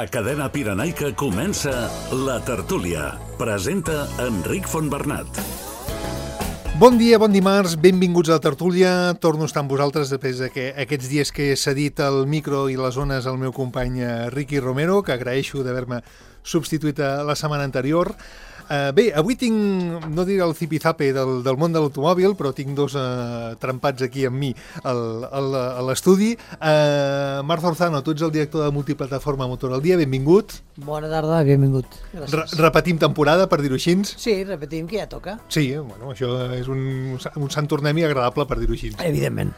A Cadena Pirenaica comença La Tertúlia. Presenta Enric Fontbernat. Bon dia, bon dimarts, benvinguts a La Tertúlia. Torno a estar amb vosaltres després d'aquests dies que he cedit el micro i les zones al meu company Ricky Romero, que agraeixo d'haver-me substituït la setmana anterior. Bé, avui tinc, no diré el zipizape del món de l'automòbil, però tinc dos trempats aquí amb mi a l'estudi. Marc Zorzano, tu ets el director de Multiplataforma Motor al Dia, benvingut. Bona tarda, benvingut. Repetim temporada, per dir-ho així. Sí, repetim, que ja toca. Sí, bueno, això és un sant tornem-hi agradable, per dir-ho així. Evidentment.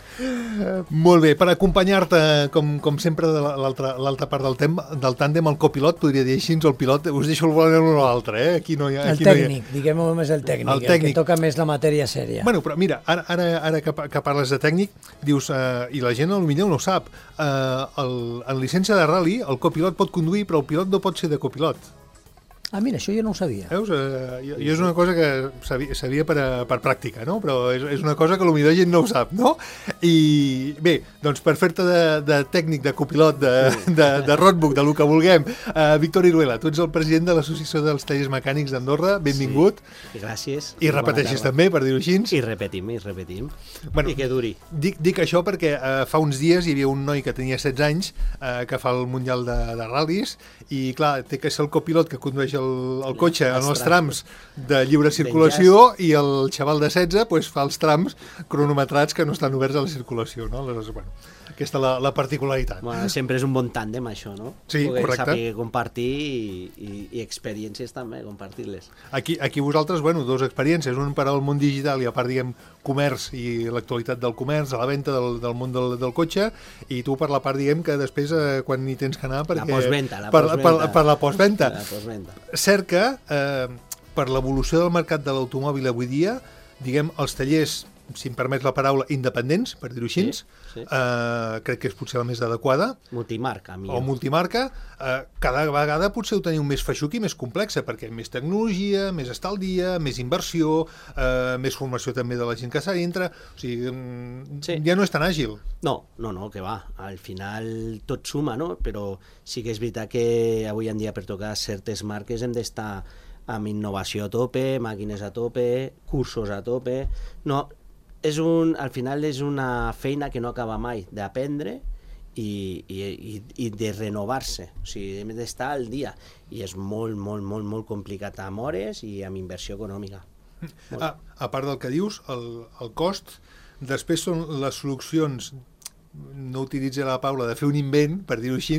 Molt bé, per acompanyar-te, com sempre, de l'altra part del tàndem, el copilot, podria dir així, el pilot, us deixo el volant l'un o l'altre, Aquí no hi ha... El tècnic, diguem-ho més el tècnic, el que toca més la matèria sèria. Bueno, però mira, ara que parles de tècnic, dius, i la gent potser no ho sap, en llicència de rally el copilot pot conduir, però el pilot no pot ser de copilot. Ah, mira, això jo no ho sabia. Veus? Jo és una cosa que sabia per pràctica, no? Però és una cosa que potser gent no ho sap, no? I bé, doncs per fer-te de tècnic, de copilot, de roadbook, de lo que vulguem, Víctor Iruela, tu ets el president de l'Associació dels Tallers Mecànics d'Andorra, benvingut. Sí, gràcies. I repeteixis també, per dir-ho així. I repetim. Bueno, I que duri. Dic això perquè fa uns dies hi havia un noi que tenia 16 anys que fa el Mundial de ral·lis i, clar, té que ser el copilot que condueix el cotxe en els trams de lliure circulació i el xaval de 16 pues, fa els trams cronometrats que no estan oberts a la circulació, no? Aleshores, bueno, aquesta és la particularitat. Bueno, sempre és un bon tàndem, això, no? Sí, correcte. Saber compartir i experiències també, compartir-les. Aquí vosaltres, bueno, dues experiències, un per al món digital i a part, diguem, comerç i l'actualitat del comerç, a la venda del món del cotxe, i tu per la part, diguem, que després quan hi tens que anar perquè... La postventa. Per la postventa. La postventa. Cert que, per l'evolució del mercat de l'automòbil avui dia, diguem, els tallers, si em permets la paraula, independents, per dir-ho així, sí. Crec que és potser la més adequada. Multimarca, millor. O multimarca, cada vegada potser ho teniu més feixuc i més complexa, perquè més tecnologia, més estar al dia, més inversió, més formació també de la gent que s'ha dintre, o sigui, sí. Ja no és tan àgil. No, que va, al final tot suma, no? Però sí que és veritat que avui en dia per tocar certes marques hem d'estar amb innovació a tope, màquines a tope, cursos a tope, no... al final és una feina que no acaba mai d'aprendre i de renovar-se, o sigui, hem d'estar al dia i és molt complicat amb hores i amb inversió econòmica. A part del que dius, el cost, després són les solucions, no utilitzo la paraula de fer un invent, per dir-ho així,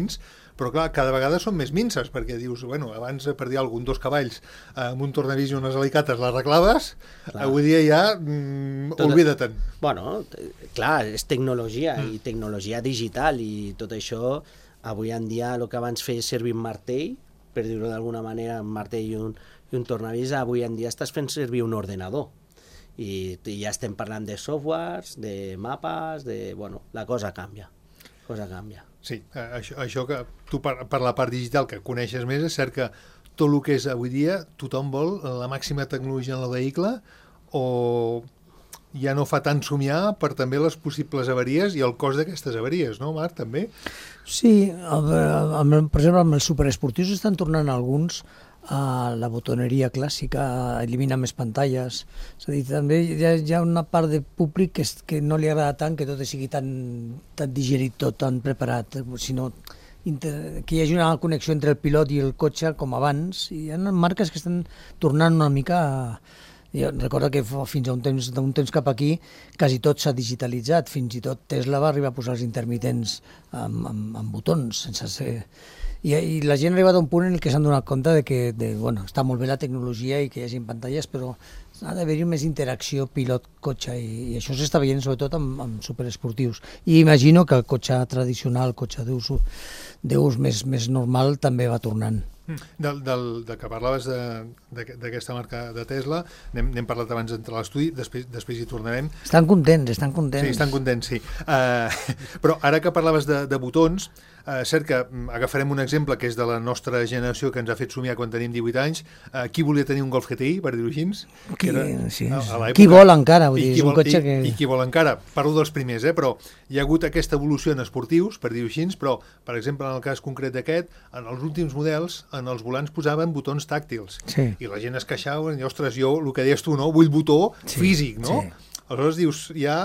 però clar, cada vegada són més minces, perquè dius, bueno, abans per dir alguna cosa, 2 cavalls amb un tornavís i unes alicates l'arreglaves, avui dia ja oblida-te'n. Bueno, clar, és tecnologia i tecnologia digital i tot això, avui en dia el que abans feia servir un martell, per dir-ho d'alguna manera, un martell i un tornavís, avui en dia estàs fent servir un ordenador. I ja estem parlant de softwares, de mapes, bueno, la cosa canvia. Sí, això que tu per la part digital que coneixes més, és cert que tot el que és avui dia tothom vol la màxima tecnologia en el vehicle o ja no fa tant somiar per també les possibles avaries i el cost d'aquestes avaries, no, Marc, també? Sí, per exemple, amb els superesportius estan tornant alguns a la botoneria clàssica, a eliminar més pantalles. És a dir, també hi ha una part de públic que no li agrada tant que tot sigui tan digerit, tot tan preparat, sinó que hi hagi una connexió entre el pilot i el cotxe com abans. I hi ha marques que estan tornant una mica Jo recordo que fins a d'un temps cap aquí quasi tot s'ha digitalitzat, fins i tot Tesla va arribar a posar els intermitents amb botons, sense ser... I la gent ha arribat a un punt en què s'han donat compte de que bueno, està molt bé la tecnologia i que hi hagi pantalles, però ha d'haver-hi més interacció pilot-cotxe i això s'està veient sobretot amb superesportius. I imagino que el cotxe tradicional, el cotxe d'ús més normal també va tornant. Del que parlaves d'aquesta marca de Tesla, n'hem parlat abans d'entrar a l'estudi, després hi tornarem. Estan contents. Sí, estan contents, sí. Però ara que parlaves de botons, Cert que agafarem un exemple que és de la nostra generació, que ens ha fet somiar quan tenim 18 anys. Qui volia tenir un Golf GTI, per dir-ho així? Qui vol encara, vull dir, és un cotxe que... I qui vol encara. Parlo dels primers, però hi ha hagut aquesta evolució en esportius, per dir-ho així, però, per exemple, en el cas concret d'aquest, en els últims models, en els volants posaven botons tàctils. Sí. I la gent es queixava, i, ostres, jo, el que deies tu, no? Vull botó físic, no? Sí. Aleshores dius, hi ha,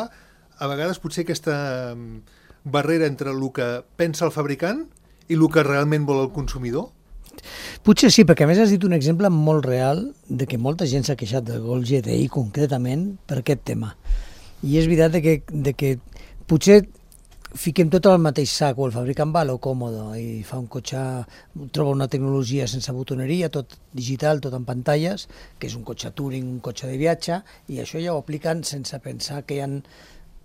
a vegades, potser aquesta barrera entre el que pensa el fabricant i el que realment vol el consumidor? Potser sí, perquè a més has dit un exemple molt real de que molta gent s'ha queixat del Golf GTI concretament per aquest tema. I és veritat de que potser fiquem tot al mateix sac, o el fabricant va a lo còmodo i fa un cotxe, troba una tecnologia sense botoneria, tot digital, tot en pantalles, que és un cotxe touring, un cotxe de viatge, i això ja ho apliquen sense pensar que hi ha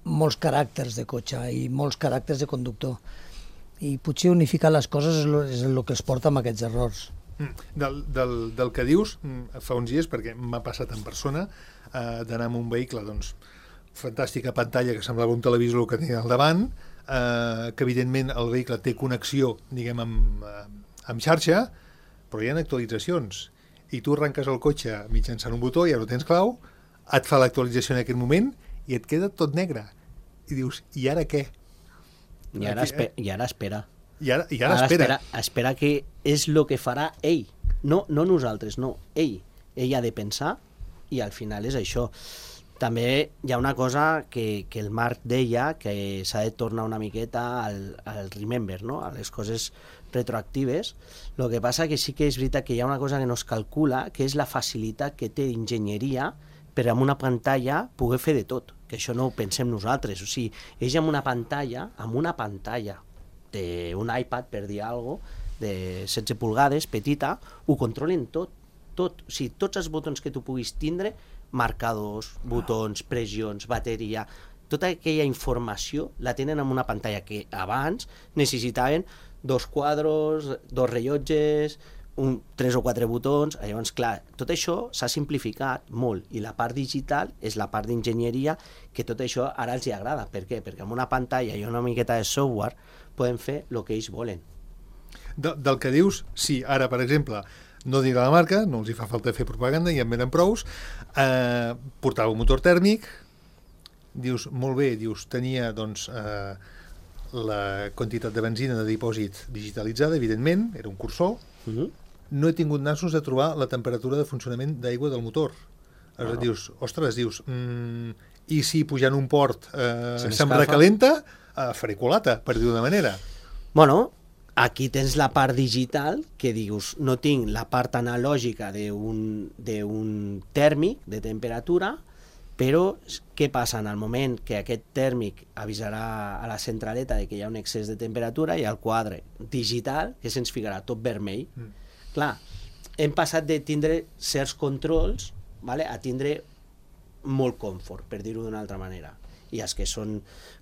molts caràcters de cotxe i molts caràcters de conductor. I potser unificar les coses és el que es porta amb aquests errors. Del que dius, fa uns dies, perquè m'ha passat en persona, d'anar amb un vehicle, doncs, fantàstica pantalla que semblava un televisor que tenia al davant, que evidentment el vehicle té connexió, diguem, amb xarxa, però hi ha actualitzacions. I tu arrenques el cotxe mitjançant un botó, ja no tens clau, et fa l'actualització en aquest moment i et queda tot negre. I dius, i ara què? I ara espera. I ara espera. Espera que és el que farà ell. No nosaltres, no, ell. Ell ha de pensar i al final és això. També hi ha una cosa que el Marc deia, que s'ha de tornar una miqueta al remember, no? A les coses retroactives. El que passa que sí que és veritat que hi ha una cosa que no es calcula, que és la facilitat que té enginyeria per amb una pantalla poder fer de tot, que això no ho pensem nosaltres. O sigui, ells amb una pantalla d'un iPad, per dir alguna cosa, de 16 pulgades, petita, ho controlen tot. O sigui, tots els botons que tu puguis tindre, marcadors, botons, pressions, bateria, tota aquella informació la tenen en una pantalla que abans necessitaven 2 quadros, 2 rellotges, 3 o 4 botons. Llavors, clar, tot això s'ha simplificat molt i la part digital és la part d'enginyeria que tot això ara els hi agrada. Per què? Perquè amb una pantalla i una miqueta de software poden fer el que ells volen. Del que dius, sí, ara, per exemple, no diré la marca, no els hi fa falta fer propaganda, ja en venen prous, portava un motor tèrmic, dius, molt bé, dius, tenia, doncs, la quantitat de benzina de dipòsit digitalitzada, evidentment, era un cursor. No he tingut nassos de trobar la temperatura de funcionament d'aigua del motor. Dius, ostres, i si pujant un port se'm recalenta, faré culata, per dir-ho d'una manera. Bueno, aquí tens la part digital, que dius, no tinc la part analògica d'un tèrmic de temperatura, però què passa en el moment que aquest tèrmic avisarà a la centraleta de que hi ha un excés de temperatura i al quadre digital que se'ns ficarà tot vermell. Clar, hem passat de tindre certs controls, vale, a tindre molt confort, per dir-ho d'una altra manera. I els que són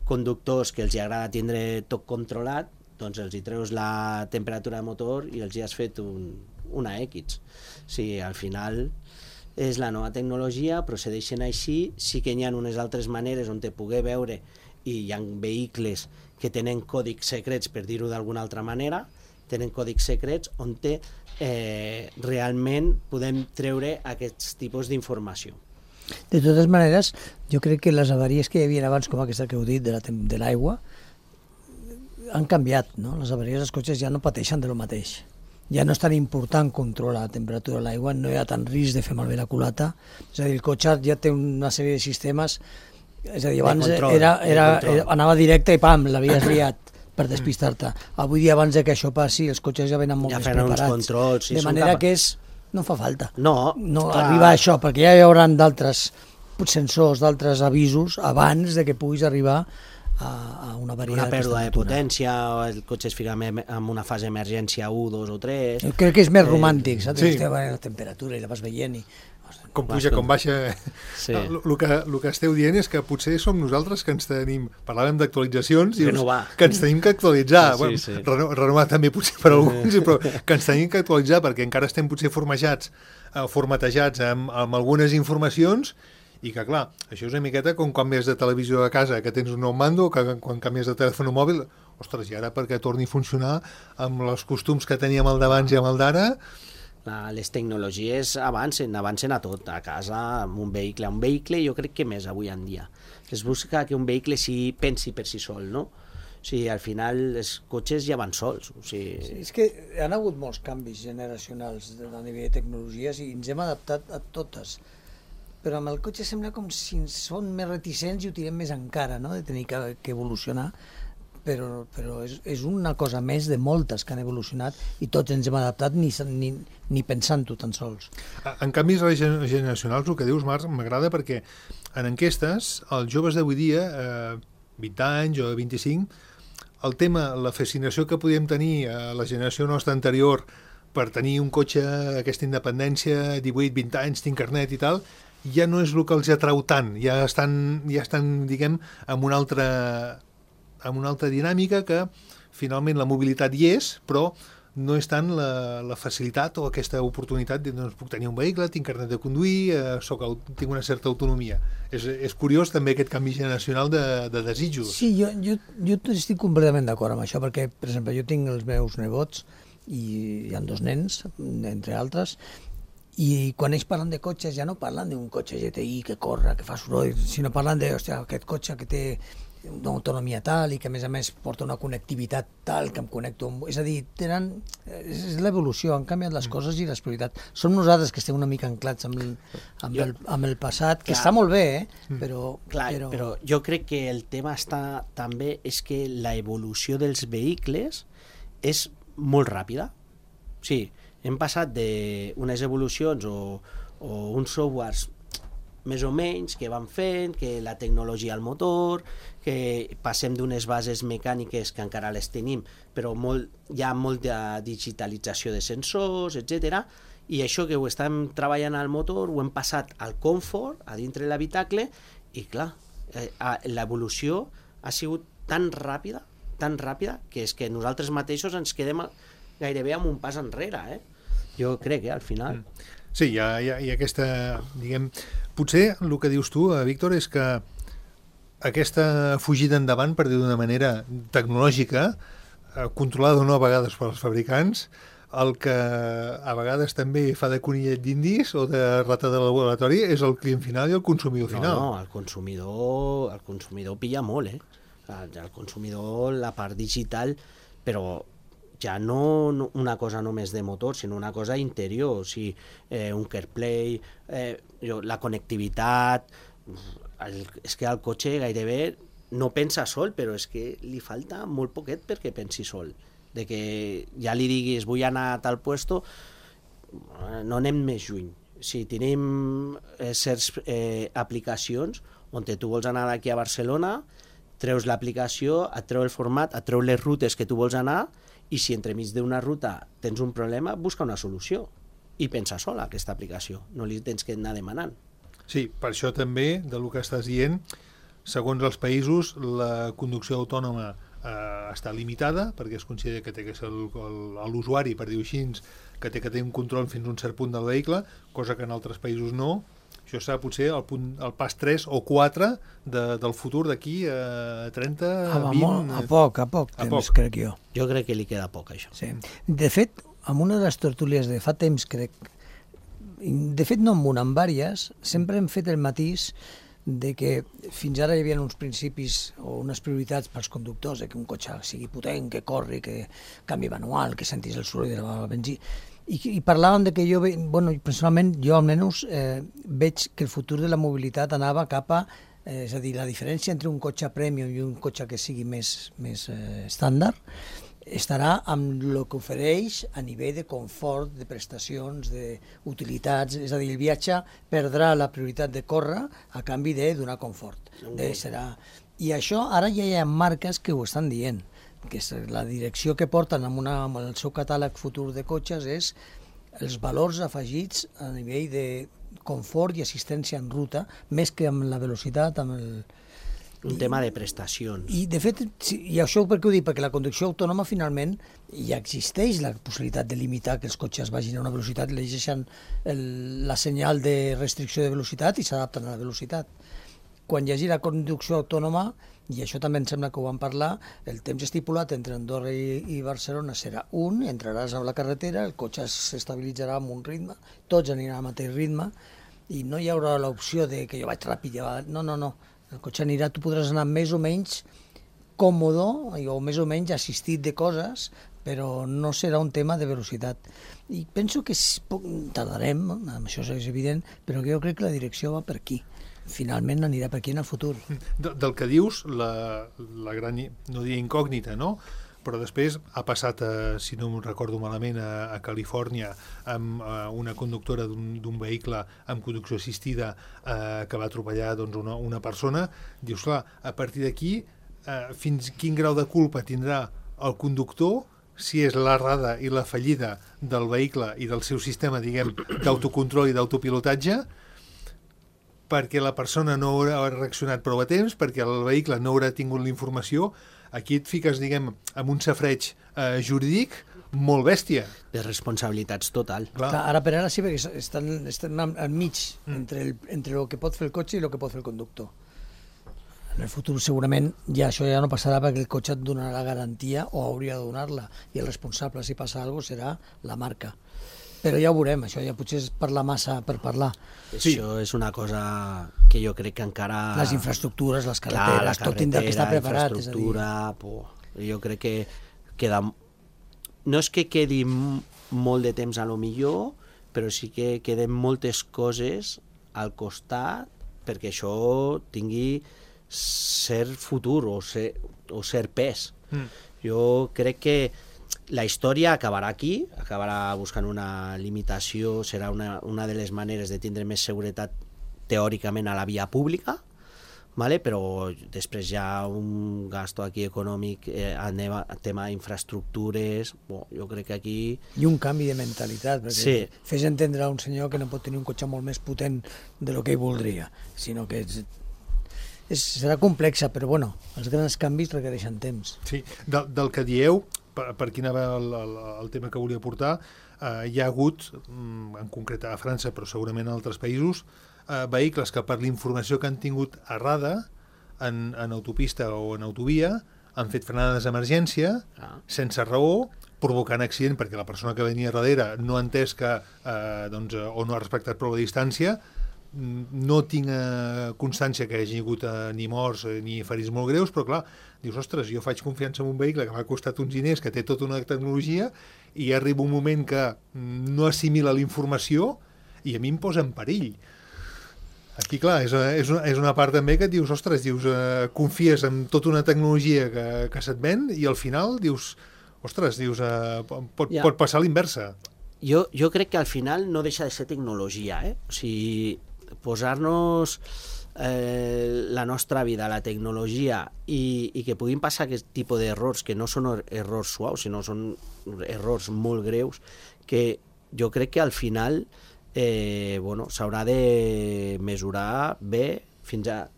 conductors que els agrada tindre tot controlat, doncs els hi treus la temperatura de motor i els hi has fet una X. O sigui, al final és la nova tecnologia, procedeixen així, sí que hi ha unes altres maneres on te poder veure, i hi ha vehicles que tenen còdics secrets, per dir-ho d'alguna altra manera, tenen còdics secrets on realment podem treure aquests tipus d'informació. De totes maneres, jo crec que les avaries que hi havia abans, com aquesta que heu dit, de l'aigua, han canviat, no? Les avaries dels cotxes ja no pateixen de lo mateix. Ja no és tan important controlar la temperatura de l'aigua, no hi ha tant risc de fer malbé la culata. És a dir, el cotxe ja té una sèrie de sistemes, és a dir, abans anava directe i pam, l'havies liat per despistar-te. Avui dia, abans que això passi, els cotxes ja venen molt més preparats. Controls, de manera que no fa falta. No arribar a això, perquè ja hi haurà d'altres sensors, d'altres avisos, abans de que puguis arribar a una avaria. Una pèrdua de potència, o el cotxe es fica en una fase d'emergència 1, 2 o 3. Crec que és més romàntic, saps? Sí. La temperatura i la vas veient i... Com puja, com baixa... Sí. El que esteu dient és que potser som nosaltres que ens tenim... Parlàvem d'actualitzacions i que ens tenim que actualitzar. Sí. Renovar també potser per alguns, però que ens tenim que actualitzar perquè encara estem potser formatejats amb algunes informacions I que, clar, això és una miqueta com quan canvies de televisió a casa, que tens un nou mando, que quan canvies de telèfon mòbil, ostres, i ara perquè torni a funcionar amb els costums que teníem al d'abans i amb el d'ara... Les tecnologies avancen a tot, a casa, amb un vehicle. Un vehicle jo crec que més avui en dia. Es busca que un vehicle pensi per si sol, no? O sigui, al final els cotxes ja van sols. O sigui... Sí, és que han hagut molts canvis generacionals a nivell de tecnologies i ens hem adaptat a totes. Però amb el cotxe sembla com si són més reticents i ho tirem més encara, no?, de tenir que evolucionar. Però és una cosa més de moltes que han evolucionat i tots ens hem adaptat ni pensant-ho tan sols. En canvis generacionals, el que dius, Marc, m'agrada perquè en enquestes els joves d'avui dia, 20 anys o 25, el tema, la fascinació que podíem tenir a la generació nostra anterior per tenir un cotxe, aquesta independència, 18-20 anys, tinc carnet i tal, ja no és el que els atrau tant, ja estan diguem, amb una altra dinàmica que finalment la mobilitat hi és, però no és tant la facilitat o aquesta oportunitat de doncs, puc tenir un vehicle, tinc carnet de conduir, tinc una certa autonomia. És curiós també aquest canvi generacional de desitjos. Sí, jo estic completament d'acord amb això, perquè, per exemple, jo tinc els meus nebots i hi ha 2 nens, entre altres, i quan ells parlen de cotxes ja no parlen d'un cotxe GTI que corre, que fa soroll, sinó parlen de, hòstia, aquest cotxe que té una autonomia tal i que a més porta una connectivitat tal que em connecto amb... És a dir, és l'evolució, han canviat les coses i les prioritats. Som nosaltres que estem una mica anclats amb el passat, que està molt bé, però... Però jo crec que el tema també és que la evolució dels vehicles és molt ràpida. Sí, hem passat d'unes evolucions o uns softwares més o menys, que van fent, que la tecnologia al motor, que passem d'unes bases mecàniques que encara les tenim, però hi ha molta digitalització de sensors, etc. I això que ho estem treballant al motor ho hem passat al confort, a dintre de l'habitacle, i clar, l'evolució ha sigut tan ràpida, que és que nosaltres mateixos ens quedem gairebé amb un pas enrere, jo crec, al final. Sí, hi ha aquesta, diguem... Potser el que dius tu, Víctor, és que aquesta fugida endavant, per dir d'una manera tecnològica, controlada o no a vegades pels fabricants, el que a vegades també fa de conillet d'indis o de rata de laboratori és el client final i el consumidor final. No, el consumidor pilla molt, el consumidor, la part digital, però ja no una cosa només de motor, sinó una cosa interior, o sigui, un CarPlay, la connectivitat, és que el cotxe gairebé no pensa sol, però és que li falta molt poquet perquè pensi sol. De que ja li diguis vull anar a tal puesto, no anem més lluny. Si tenim certes aplicacions on tu vols anar d'aquí a Barcelona, treus l'aplicació, et treu el format, et treu les rutes que tu vols anar, i si entremig d'una ruta tens un problema, busca una solució i pensa sola aquesta aplicació, no li tens que anar demanant. Sí, per això també, del que estàs dient, segons els països, la conducció autònoma està limitada, perquè es considera que té que ser l'usuari, per dir-ho així, que té que tenir un control fins a un cert punt del vehicle, cosa que en altres països no. Això serà potser el pas 3 o 4 del futur d'aquí a 30, 20... A poc temps, crec jo. Jo crec que li queda poc, això. Sí. De fet, en una de les tertúlies de fa temps, crec, de fet no en una, en vàries, sempre hem fet el matís de que fins ara hi havia uns principis o unes prioritats pels conductors, que un cotxe sigui potent, que corri, que canvi manual, que sentis el soroll de la benzina. I parlàvem de que personalment, jo almenys veig que el futur de la mobilitat anava cap a, és a dir, la diferència entre un cotxe premium i un cotxe que sigui més estàndard estarà amb el que ofereix a nivell de confort, de prestacions, d'utilitats, és a dir, el viatge perdrà la prioritat de córrer a canvi de donar confort. I això ara ja hi ha marques que ho estan dient, que la direcció que porten amb el seu catàleg futur de cotxes és els valors afegits a nivell de confort i assistència en ruta, més que amb la velocitat, un tema de prestacions. I, de fet, i això per què ho dic? Perquè la conducció autònoma, finalment, ja existeix la possibilitat de limitar que els cotxes vagin a una velocitat, llegeixen la senyal de restricció de velocitat i s'adapten a la velocitat. Quan hi hagi la conducció autònoma, i això també em sembla que ho vam parlar, el temps estipulat entre Andorra i Barcelona serà un, entraràs a la carretera, el cotxe s'estabilitzarà amb un ritme, tots aniran al mateix ritme, i no hi haurà l'opció de que jo vaig ràpid, no. El cotxe anirà, tu podràs anar més o menys còmodo o més o menys assistit de coses, però no serà un tema de velocitat. I penso que tardarem, això és evident, però jo crec que la direcció va per aquí. Finalment anirà per aquí en el futur. Del que dius, la gran, no diria incògnita, no? Però després ha passat, si no em recordo malament, a Califòrnia amb una conductora d'un vehicle amb conducció assistida que va atropellar una persona. Dius, clar, a partir d'aquí, fins quin grau de culpa tindrà el conductor si és l'errada i la fallida del vehicle i del seu sistema, diguem, d'autocontrol i d'autopilotatge, perquè la persona no haurà reaccionat prou a temps, perquè el vehicle no haurà tingut la informació. Aquí et fiques, diguem, amb un safreig jurídic molt bèstia. De responsabilitats total. Clar, ara per ara sí, perquè estan al mig entre el que pot fer el cotxe i el que pot fer el conductor. En el futur segurament això ja no passarà perquè el cotxe et donarà la garantia o hauria de donar-la, i el responsable si passa alguna cosa serà la marca. Però ja ho veurem, això ja potser és parlar massa per parlar. Sí. Això és una cosa que jo crec que encara... Les infraestructures, les carreteres, tot tindrà que estar preparat. Jo crec que queda... No és que quedi molt de temps a lo millor, però sí que queden moltes coses al costat perquè això tingui cert futur o cert pes. Jo crec que la història acabarà aquí, acabarà buscant una limitació, serà una de les maneres de tindre més seguretat teòricament a la via pública, ¿vale? Però després hi ha un gasto aquí econòmic, tema d'infraestructures, jo crec que aquí... I un canvi de mentalitat, perquè sí. Fes entendre a un senyor que no pot tenir un cotxe molt més potent de lo que ell voldria, sinó que serà complexa, però bueno, els grans canvis requereixen temps. Sí, del que dieu, per aquí anava el tema que volia portar, hi ha hagut, en concret a França, però segurament a altres països, vehicles que per la informació que han tingut errada en autopista o en autovia han fet frenades d'emergència sense raó, provocant accident perquè la persona que venia darrere no ha entès que o no ha respectat prou la distància. No tinc constància que hi hagi hagut ni morts ni ferits molt greus, però clar, dius, ostres, jo faig confiança en un vehicle que m'ha costat uns diners, que té tota una tecnologia, i arriba un moment que no assimila la informació i a mi em posa en perill. Aquí, clar, és una part també que et dius, ostres, confies en tota una tecnologia que se't ven i al final dius, ostres, pot passar a l'inversa. Jo crec que al final no deixa de ser tecnologia, O sigui, posar-nos la nostra vida a la tecnologia i que puguin passar aquest tipus d'errors, que no són errors suaus, sinó són errors molt greus, que jo crec que al final s'haurà de mesurar bé fins a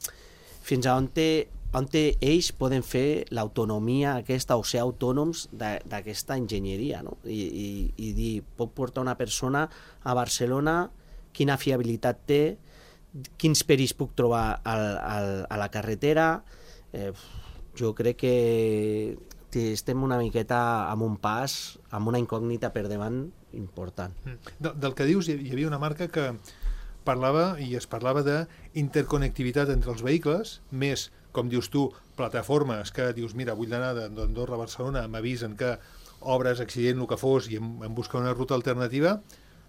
on ells poden fer l'autonomia aquesta o ser autònoms d'aquesta enginyeria, no? I dir, pot portar una persona a Barcelona, quina fiabilitat té, quins perills puc trobar a la carretera. Jo crec que estem una miqueta amb un pas, amb una incògnita per davant important. Del que dius, hi havia una marca que parlava, i es parlava d'interconnectivitat entre els vehicles, més, com dius tu, plataformes que dius, mira, vull anar d'Andorra a Barcelona, m'avisen que obres, accident, el que fos, i em busca una ruta alternativa,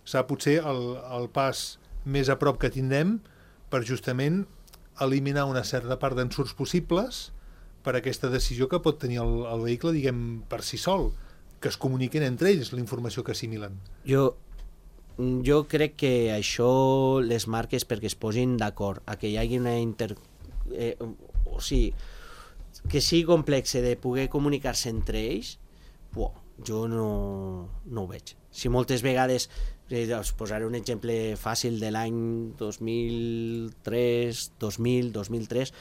serà potser el pas més a prop que tindrem per justament eliminar una certa part d'ensurts possibles per aquesta decisió que pot tenir el vehicle, diguem, per si sol, que es comuniquen entre ells la informació que assimilen. Jo crec que això les marques perquè es posin d'acord a que hi hagi una o sigui, que sigui complex de poder comunicar-se entre ells, jo no ho veig. Si moltes vegades, us posaré un exemple fàcil de l'any 2003,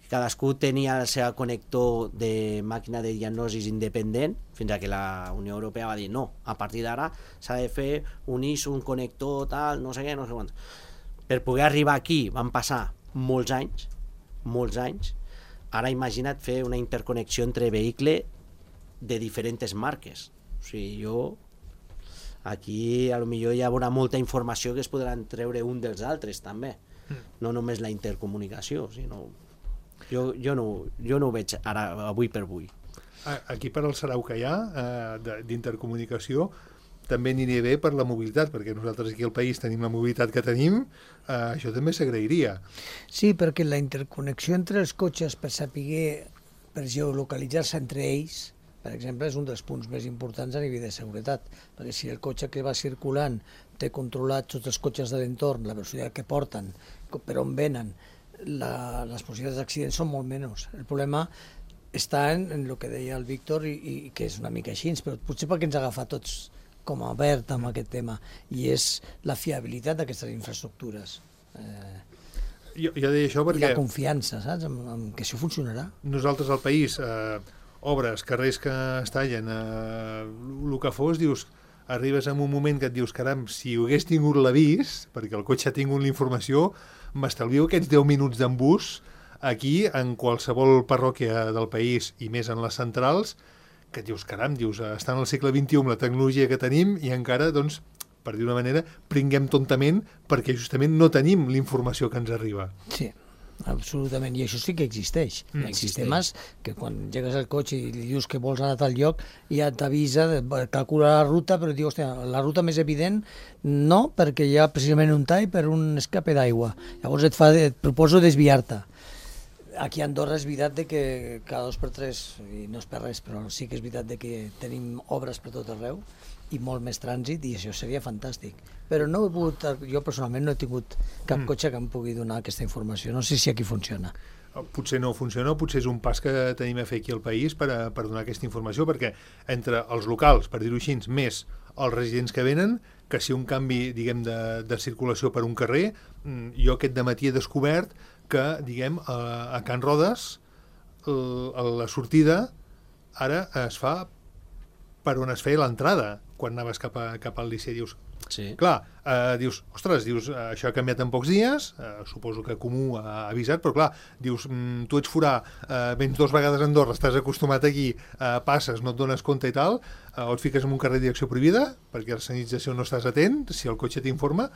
Cadascú tenia el seu connector de màquina de diagnosis independent, fins a que la Unió Europea va dir no, a partir d'ara s'ha de fer un ISO, un connector, tal, no sé què, no sé quant. Per poder arribar aquí van passar molts anys. Ara imagina't fer una interconnexió entre vehicle de diferents marques. O sigui, aquí potser hi haurà molta informació que es podran treure un dels altres també, no només la intercomunicació, sinó jo no ho veig ara, avui per avui. Aquí per al sarau que hi ha d'intercomunicació també aniria bé per la mobilitat, perquè nosaltres aquí al país tenim la mobilitat que tenim, això també s'agrairia. Sí, perquè la interconnexió entre els cotxes per saber, per geolocalitzar-se entre ells, per exemple, és un dels punts més importants a nivell de seguretat, perquè si el cotxe que va circulant té controlat tots els cotxes de l'entorn, la velocitat que porten, per on venen, les possibilitats d'accidents són molt menys. El problema està en el que deia el Víctor, i que és una mica així, però potser perquè ens agafa tots com a verd amb aquest tema, i és la fiabilitat d'aquestes infraestructures. Jo deia això perquè... I la confiança, saps?, en que això funcionarà. Nosaltres al país, obres, carrers que es tallen, el que fos, dius, arribes en un moment que et dius, caram, si hagués tingut l'avís, perquè el cotxe ha tingut la informació, m'estalvio aquests 10 minuts d'en bus aquí, en qualsevol parròquia del país, i més en les centrals, que dius, caram, està en el segle XXI la tecnologia que tenim i encara, doncs, per dir una manera, pringuem tontament perquè justament no tenim la informació que ens arriba. Sí, absolutament, i això sí que existeix. Hi ha sistemes que quan llegues al cotxe i li dius que vols anar a tal lloc, ja t'avisa, calcula la ruta, però diu, hòstia, la ruta més evident no, perquè hi ha precisament un tall per un escape d'aigua. Llavors et proposo desviar-te. Aquí a Andorra és veritat que cada 2x3, i no és per res, però sí que és veritat que tenim obres per tot arreu i molt més trànsit, i això seria fantàstic. Però no he pogut, jo personalment no he tingut cap cotxe que em pugui donar aquesta informació. No sé si aquí funciona. Potser no funciona, potser és un pas que tenim a fer aquí al país per donar aquesta informació, perquè entre els locals, per dir-ho així, més els residents que venen, que si un canvi, diguem, de circulació per un carrer, jo aquest dematí he descobert que, diguem, a Can Rodes la sortida ara es fa per on es feia l'entrada, quan anaves cap al Liceu. Dius, sí. Clar, dius, ostres, això ha canviat en pocs dies, suposo que Comú ha avisat, però clar, dius, tu ets forà, vens 2 vegades a Andorra, estàs acostumat aquí, passes, no et dones compte i tal, o et fiques en un carrer de direcció prohibida, perquè a la senyalització no estàs atent, si el cotxe t'informa,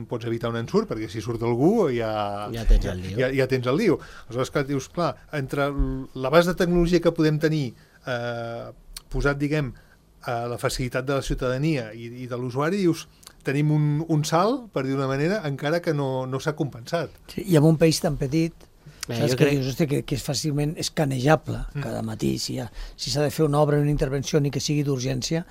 pots evitar un ensurt, perquè si surt algú ja tens el lío. Ja tens el lío. Aleshores, clar, dius, clar, entre l'abast de tecnologia que podem tenir posat, diguem, a la facilitat de la ciutadania i de l'usuari, dius, tenim un salt, per dir d'una manera, encara que no s'ha compensat. Sí, i en un país tan petit, saps que dius, hosti, que és fàcilment escanejable cada matí, si s'ha de fer una obra, una intervenció, ni que sigui d'urgència,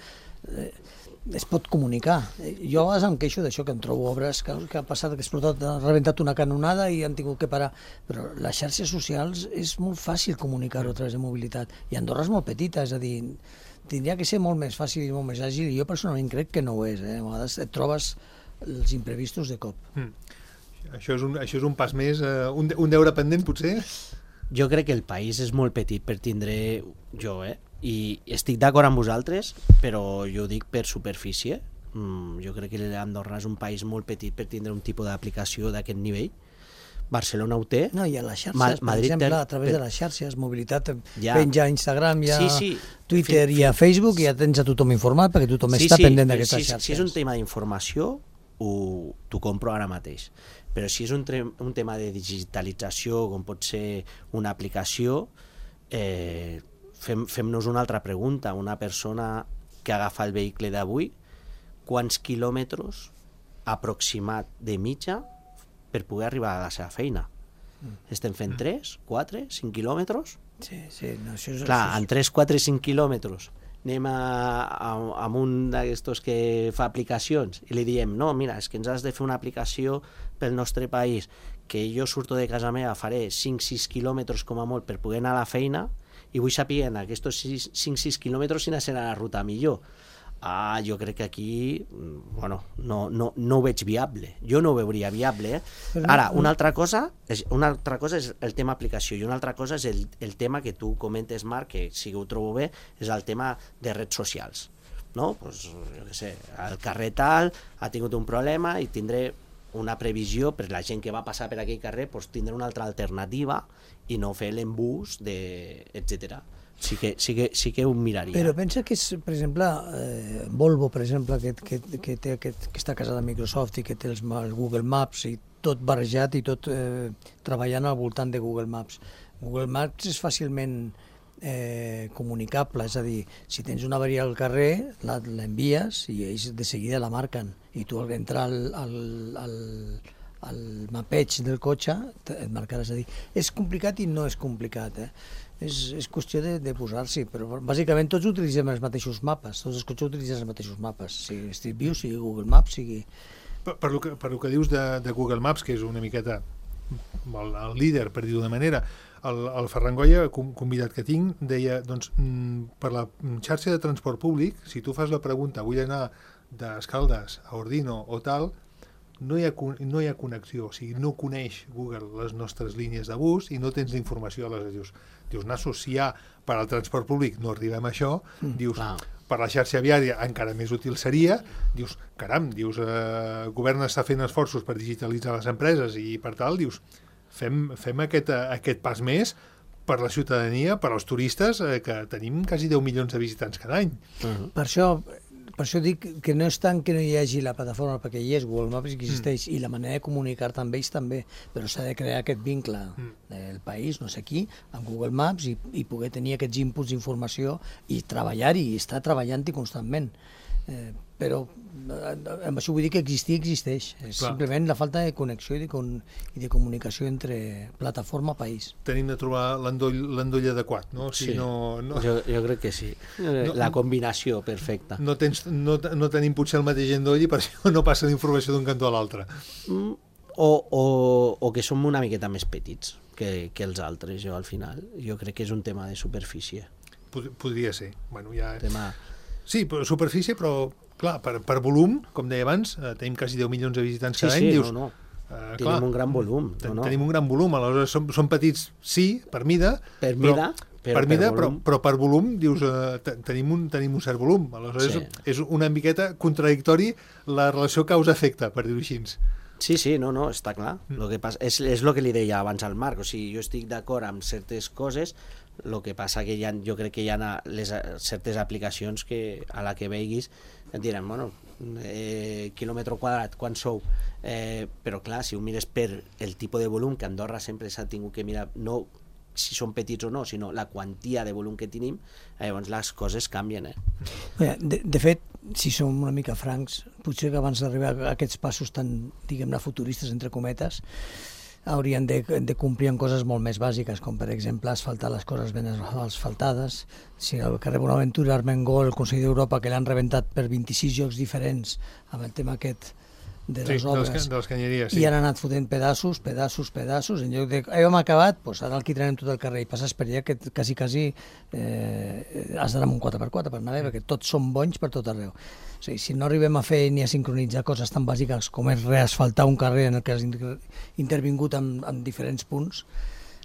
es pot comunicar. Jo a vegades em queixo d'això, que em trobo obres que ha passat, que ha rebentat una canonada i han tingut que parar, però les xarxes socials és molt fàcil comunicar-ho a través de mobilitat, i Andorra és molt petita, és a dir, tindria que ser molt més fàcil i molt més àgil, i jo personalment crec que no ho és. A vegades et trobes els imprevistos de cop. Això és un pas més, un deure pendent, potser? Jo crec que el país és molt petit per tindre i estic d'acord amb vosaltres, però jo ho dic per superfície. Jo crec que Andorra és un país molt petit per tindre un tipus d'aplicació d'aquest nivell. Barcelona ho té. No, i a les xarxes, per exemple, a través de les xarxes, mobilitat, penja a Instagram, Twitter i a Facebook, i ja tens a tothom informat, perquè tothom està pendent d'aquestes xarxes. Si és un tema d'informació, t'ho compro ara mateix. Però si és un tema de digitalització, com pot ser una aplicació, fem-nos una altra pregunta. Una persona que agafa el vehicle d'avui, quants quilòmetres aproximat de mitja per poder arribar a la seva feina? Estem fent 3, 4, 5 quilòmetres? Sí. No, clar, en 3, 4, 5 quilòmetres anem a un d'aquestos que fa aplicacions i li diem, no, mira, és que ens has de fer una aplicació pel nostre país, que jo surto de casa meva, faré 5-6 quilòmetres com a molt per poder anar a la feina, i vull saber en aquests 5-6 quilòmetres quina serà la ruta millor. Jo crec que aquí no ho veig viable. Jo no ho veuria viable. Ara, una altra cosa és el tema aplicació i una altra cosa és el tema que tu comentes, Marc, que sí que ho trobo bé, és el tema de redes socials. No? Pues, jo què sé, el carrer tal ha tingut un problema i tindré una previsió per la gent que va passar per aquell carrer, pues, tindré una altra alternativa i no fer l'embús, etc. Sí que ho miraria. Però pensa que és, per exemple, Volvo, per exemple, que té aquesta casa de Microsoft i que té el Google Maps i tot barrejat i tot treballant al voltant de Google Maps. Google Maps és fàcilment comunicable, és a dir, si tens una avaria al carrer, l'envies i ells de seguida la marquen i tu al entrar al mapeig del cotxe et marcaràs. És a dir, és complicat i no és complicat, és qüestió de posar-s'hi, però bàsicament tots utilitzem els mateixos mapes, tots els cotxes utilitzen els mateixos mapes, sigui Street View, sigui Google Maps, sigui... Per lo que dius de Google Maps, que és una miqueta el líder, per dir-ho d'una manera, el Ferran Goya, convidat que tinc, deia, doncs, per la xarxa de transport públic, si tu fas la pregunta, vull anar d'Escaldes a Ordino o tal, no hi ha connexió, o sigui, no coneix Google les nostres línies de bus i no tens informació. Aleshores dius, nassos, si ja per al transport públic no arribem a això, dius, per la xarxa viària encara més útil seria, dius, caram, el govern està fent esforços per digitalitzar les empreses i per tal, dius, fem aquest pas més per la ciutadania, per als turistes, que tenim quasi 10 milions de visitants cada any. Per això dic que no és tant que no hi hagi la plataforma, perquè hi és, Google Maps que existeix, i la manera de comunicar amb ells també, però s'ha de crear aquest vincle del país, no sé qui, amb Google Maps i poder tenir aquests inputs d'informació i treballar-hi, i estar treballant-hi constantment. Però amb això vull dir que existeix. És simplement la falta de connexió i de comunicació entre plataforma i país. Tenim de trobar l'endoll adequat, no? Sí, jo crec que sí. La combinació perfecta. No tenim potser el mateix endoll i per això no passa la informació d'un cantó a l'altre. O que som una miqueta més petits que els altres, al final. Jo crec que és un tema de superfície. Podria ser. Bueno, ja... Sí, superfície, però clar, per volum, com deia abans, tenim quasi 10 milions de visitants cada any. Dius, tenim un gran volum. Tenim un gran volum, aleshores som petits, sí, per mida, però per volum, dius, tenim un cert volum. Aleshores és una miqueta contradictori la relació causa-efecte, per dir-ho així. Sí, no, està clar. Lo que passa és el que li deia abans al Marc, o sigui, jo estic d'acord amb certes coses, el que passa que jo crec que hi ha certes aplicacions que a la que veiguis et diran, quilòmetre quadrat, quan sou? Però clar, si ho mires per el tipus de volum, que Andorra sempre s'ha tingut que mirar, no si són petits o no, sinó la quantia de volum que tenim, llavors les coses canvien. De fet, si som una mica francs, potser que abans d'arribar a aquests passos tan, diguem-ne, futuristes, entre cometes, haurien de complir en coses molt més bàsiques, com per exemple asfaltar les coses ben asfaltades. Si al carrer Bonaventura, Armengol, el Consell d'Europa, que l'han rebentat per 26 llocs diferents amb el tema aquest de les obres, de les canyeries, i han anat fotent pedaços, en lloc de hem acabat, doncs ara el quitrarem tot el carrer i passes per allà que quasi has d'anar amb un 4x4 per anar bé, perquè tots són bonys per tot arreu. O sigui, si no arribem a fer ni a sincronitzar coses tan bàsiques com és reasfaltar un carrer en el que has intervingut en diferents punts,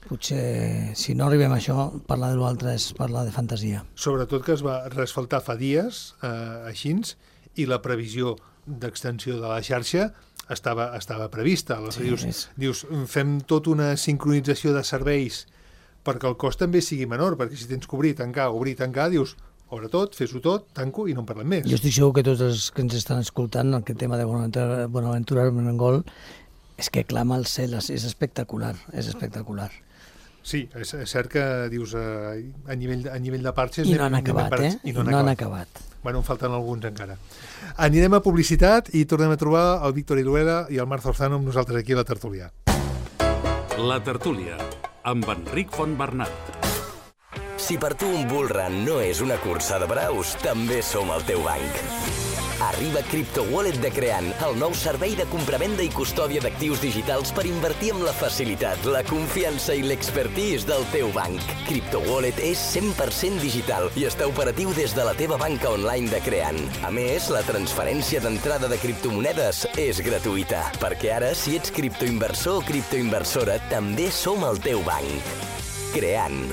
potser si no arribem a això, parlar de l'altre és parlar de fantasia. Sobretot que es va reasfaltar fa dies, així, i la previsió d'extensió de la xarxa estava prevista. Dius, fem tota una sincronització de serveis perquè el cost també sigui menor, perquè si tens que obrir, tancar, dius, obre tot, fes-ho tot, tanco i no en parlem més. Jo estic segur que tots els que ens estan escoltant aquest tema de Bonaventura Armengol és que clama al cel, és espectacular, Sí, és cert que dius a nivell de parxes... I no han acabat, I no han acabat. Bueno, en falten alguns encara. Anirem a publicitat i tornem a trobar el Víctor Iruela i el Marc Zorzano amb nosaltres aquí a la tertúlia. La tertúlia, amb Enric Fontbernat. Si per tu un bull run no és una cursa de braus, també som el teu banc. Arriba CryptoWallet de Creant, el nou servei de compravenda i custòdia d'actius digitals per invertir amb la facilitat, la confiança i l'expertise del teu banc. CryptoWallet és 100% digital i està operatiu des de la teva banca online de Creant. A més, la transferència d'entrada de criptomonedes és gratuïta, perquè ara, si ets criptoinversor o criptoinversora, també som el teu banc. Creant.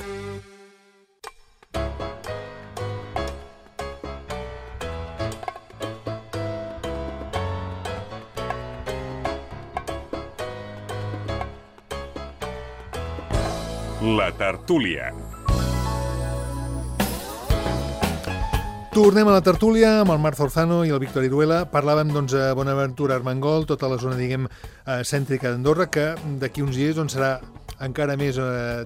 La tertúlia. Tornem a la tertúlia amb el Marc Zorzano i el Víctor Iruela. Parlàvem a Bonaventura, Armengol, tota la zona, cèntrica d'Andorra, que d'aquí uns dies serà encara més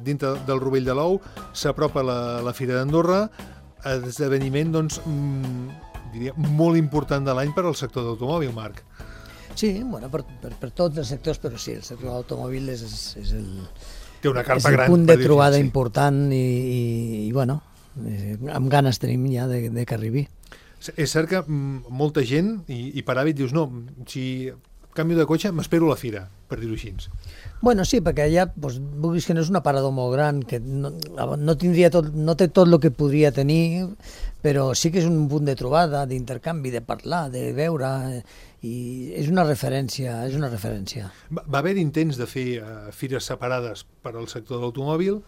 dintre del Rovell de l'Ou. S'apropa la Fira d'Andorra, esdeveniment, diria, molt important de l'any per al sector d'automòbil, Marc. Sí, bueno, per tots els sectors, però sí, el sector d'automòbil és el... Té una carpa és el gran, punt de trobada important i bueno, amb ganes tenim ja de que arribi. És cert que molta gent, i per hàbit dius, no, si canvio de cotxe, m'espero a la fira, per dir-ho així. Bueno, sí, perquè allà, vulguis que no és un aparador molt gran, que no té tot el que podria tenir, però sí que és un punt de trobada, d'intercanvi, de parlar, de veure, i és una referència, Va haver intents de fer fires separades per al sector de l'automòbil,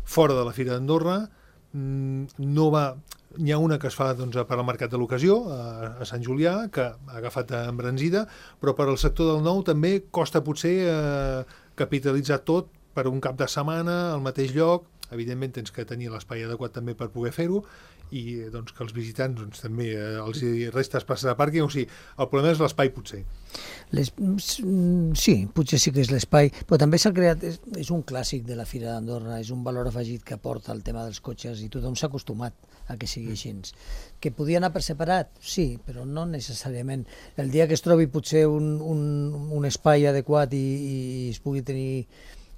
fora de la Fira d'Andorra. N'hi ha una que es fa per al Mercat de l'Ocasió, a Sant Julià, que ha agafat embranzida, però per al sector del nou també costa potser capitalitzar tot per un cap de setmana al mateix lloc. Evidentment tens que tenir l'espai adequat també per poder fer-ho, i que els visitants també els resta espaci de pàrquing. O sigui, el problema és l'espai, potser. Sí, potser sí que és l'espai, però també s'ha creat, és un clàssic de la Fira d'Andorra, és un valor afegit que aporta el tema dels cotxes i tothom s'ha acostumat a que sigui així. Que podia anar per separat? Sí, però no necessàriament. El dia que es trobi potser un espai adequat i es pugui tenir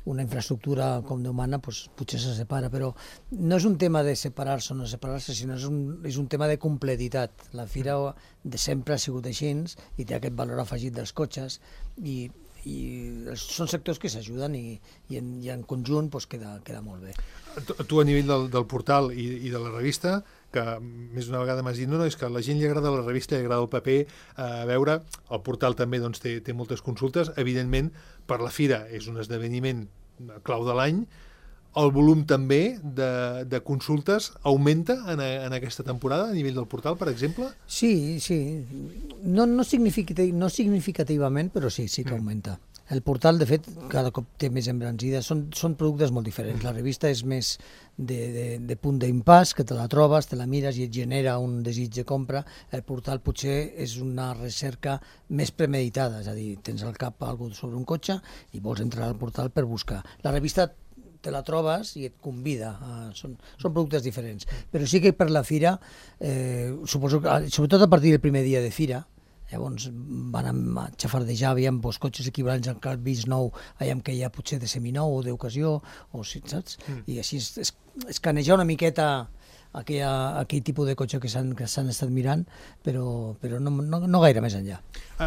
una infraestructura com Déu mana, potser se separa, però no és un tema de separar-se o no separar-se, sinó és un tema de completitat. La fira de sempre ha sigut així i té aquest valor afegit dels cotxes i són sectors que s'ajuden i en conjunt queda molt bé. Tu a nivell del portal i de la revista, que més d'una vegada m'has dit, no, és que a la gent li agrada la revista, li agrada el paper, a veure, el portal també té moltes consultes, evidentment per la fira és un esdeveniment clau de l'any, el volum també de consultes augmenta en aquesta temporada a nivell del portal, per exemple? Sí, no significativament, però sí que augmenta. El portal, de fet, cada cop té més embranzida. Són productes molt diferents. La revista és més de punt d'impàs, que te la trobes, te la mires i et genera un desig de compra. El portal potser és una recerca més premeditada, és a dir, tens al cap alguna cosa sobre un cotxe i vols entrar al portal per buscar. La revista te la trobes i et convida. Són productes diferents. Però sí que per la fira, suposo que, sobretot a partir del primer dia de fira, llavors van a xafardejar, aviam, cotxes equivalents al que has vist nou, aviam que hi ha potser de seminou o d'ocasió, saps? I així escanejar una miqueta aquell tipus de cotxe que s'han estat mirant, però no gaire més enllà.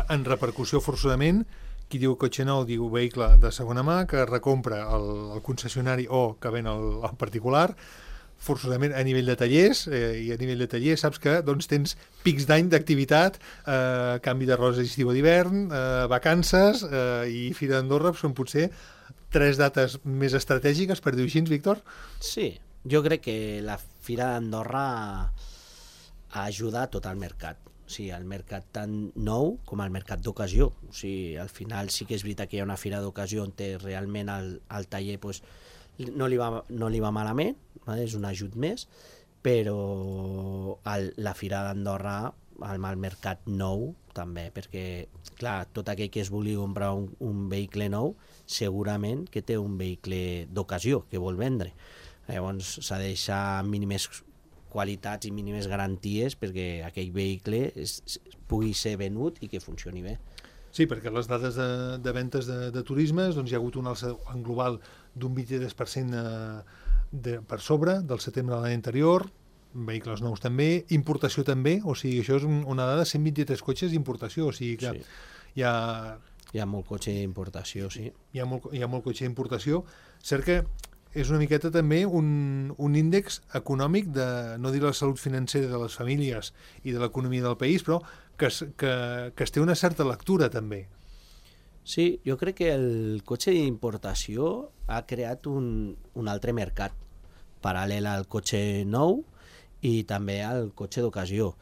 En repercussió, forçosament, qui diu cotxe nou diu vehicle de segona mà, que recompra el concessionari o que ven el particular. Forçosament a nivell de tallers, i a nivell de tallers saps que tens pics d'any d'activitat, canvi de rosa estiu a d'hivern, vacances, i Fira d'Andorra són potser 3 dates més estratègiques, per dir-ho així, Víctor? Sí, jo crec que la Fira d'Andorra ajuda a tot el mercat. O sigui, el mercat tant nou com el mercat d'ocasió. O sigui, al final sí que és veritat que hi ha una fira d'ocasió on realment el taller no li va malament, és un ajut més, però la Fira d'Andorra, el mercat nou també, perquè clar, tot aquell que es vulgui comprar un vehicle nou segurament que té un vehicle d'ocasió que vol vendre. Llavors s'ha de deixar mínimes qualitats i mínimes garanties perquè aquell vehicle pugui ser venut i que funcioni bé. Sí, perquè les dades de ventes de turismes, hi ha hagut un alça en global d'un 23% per sobre del setembre de l'any anterior, vehicles nous també, importació també, o sigui, això és una dada, 123 cotxes d'importació, o sigui que hi ha molt cotxe d'importació, sí. Hi ha molt cotxe d'importació. Cert que és una miqueta també un índex econòmic de, no dir la salut financera de les famílies i de l'economia del país, però que es té una certa lectura també. Sí, jo crec que el cotxe d'importació ha creat un altre mercat paral·lel al cotxe nou i també al cotxe d'ocasió.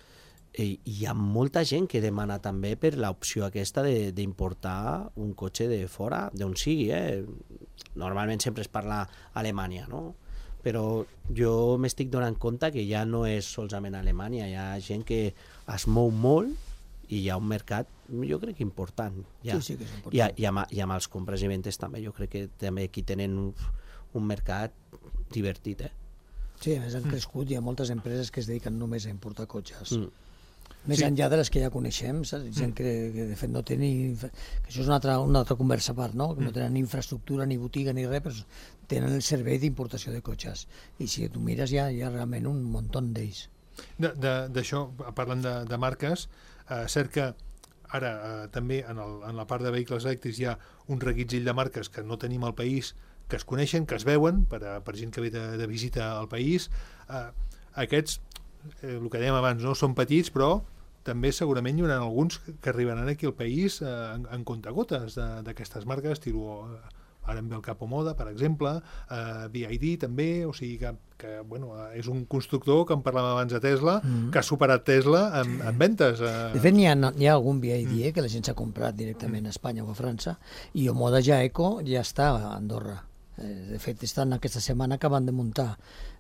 Hi ha molta gent que demana també per l'opció aquesta d'importar un cotxe de fora, d'on sigui. Normalment sempre es parla Alemanya, no? Però jo m'estic donant compte que ja no és solament Alemanya, hi ha gent que es mou molt i hi ha un mercat, jo crec que important. Sí que és important. I amb els compres i ventes també, jo crec que també aquí tenen un mercat divertit. Sí, a més han crescut, hi ha moltes empreses que es dediquen només a importar cotxes. Més enllà de les que ja coneixem, gent que de fet no té ni... que això és una altra conversa a part, no? Que no tenen ni infraestructura, ni botiga, ni res, però tenen el servei d'importació de cotxes. I si tu mires hi ha realment un muntó d'ells. D'això, parlant de marques, cert que ara també en la part de vehicles elèctrics hi ha un reguitzell de marques que no tenim al país, que es coneixen, que es veuen per gent que ve de visita al país. Aquests, el que dèiem abans, no són petits, però també segurament hi haurà alguns que arribaran aquí al país en comptagotes d'aquestes marques, ara em ve el Capo Moda, per exemple, BID també, o sigui que bueno, és un constructor que en parlàvem abans de Tesla, que ha superat Tesla en ventes. De fet, hi ha algun BID que la gent s'ha comprat directament a Espanya o a França, i Omoda Jaeco ja està a Andorra. De fet, estan aquesta setmana acabant de muntar